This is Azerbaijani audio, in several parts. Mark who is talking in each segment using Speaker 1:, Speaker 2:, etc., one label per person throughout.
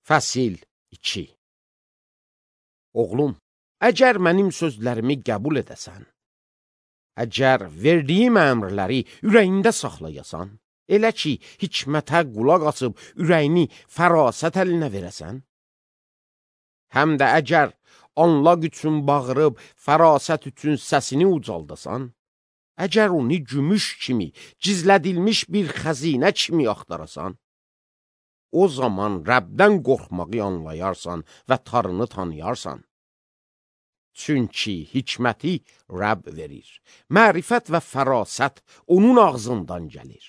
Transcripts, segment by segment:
Speaker 1: Fəsil 2. Oğlum, əgər mənim sözlərimi qəbul edəsən, əgər verdiyim əmrləri ürəyində saxlayasan, elə ki, hikmətə qulaq asıb ürəyini fərasət əlinə verəsən, həm də əgər anlaq üçün bağırıb fərasət üçün səsini ucaldasan, əgər onu gümüş kimi, gizlədilmiş bir xəzinə kimi axtarasan, o zaman Rəbdən qorxmağı anlayarsan və tarını tanıyarsan. Çünki hikməti Rəbb verir, mərifət və fərasət onun ağzından gəlir.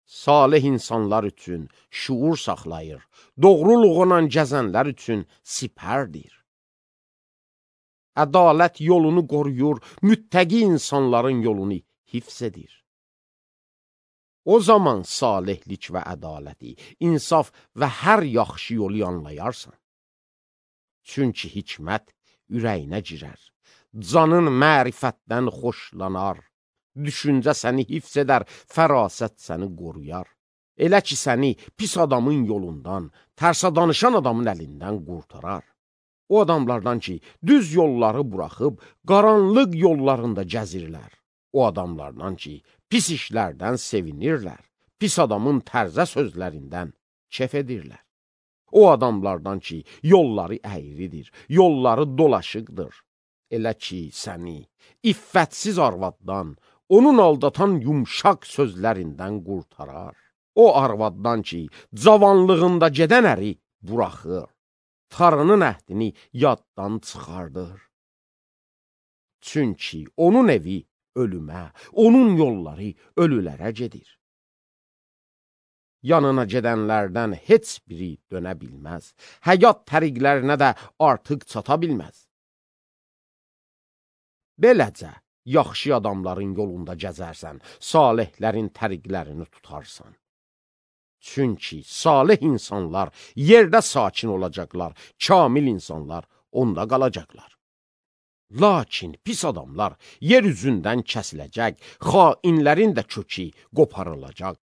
Speaker 1: Salih insanlar üçün şuur saxlayır, doğruluğuna gəzənlər üçün sipərdir. Ədalət yolunu qoruyur, müttəqi insanların yolunu hifz edir. O zaman salihlik və ədaləti, insaf və hər yaxşı yolu anlayarsan. Çünki hikmət ürəyinə girər, canın mərifətdən xoşlanar, düşüncə səni hifz edər, fərasət səni qoruyar. Elə ki, səni pis adamın yolundan, tərsə danışan adamın əlindən qurtarar. O adamlardan ki, düz yolları buraxıb, qaranlıq yollarında gəzirlər. O adamlardan ki, pis işlərdən sevinirlər, pis adamın tərzə sözlərindən kef edirlər. O adamlardan ki, yolları əyridir, yolları dolaşıqdır. Elə ki, səni iffətsiz arvaddan, onun aldatan yumşaq sözlərindən qurtarar. O arvaddan ki, cavanlığında gedən əri buraxır, tarının əhdini yaddan çıxardır. Çünki onun evi ölümə, onun yolları ölülərə gedir. Yanına gedənlərdən heç biri dönə bilməz, həyat təriqlərinə də artıq çata bilməz. Beləcə, yaxşı adamların yolunda gəzərsən, salihlərin təriqlərini tutarsan. Çünki salih insanlar yerdə sakin olacaqlar, kamil insanlar onda qalacaqlar. Lakin pis adamlar yer üzündən kəsiləcək, xainlərin də kökü qoparılacaq.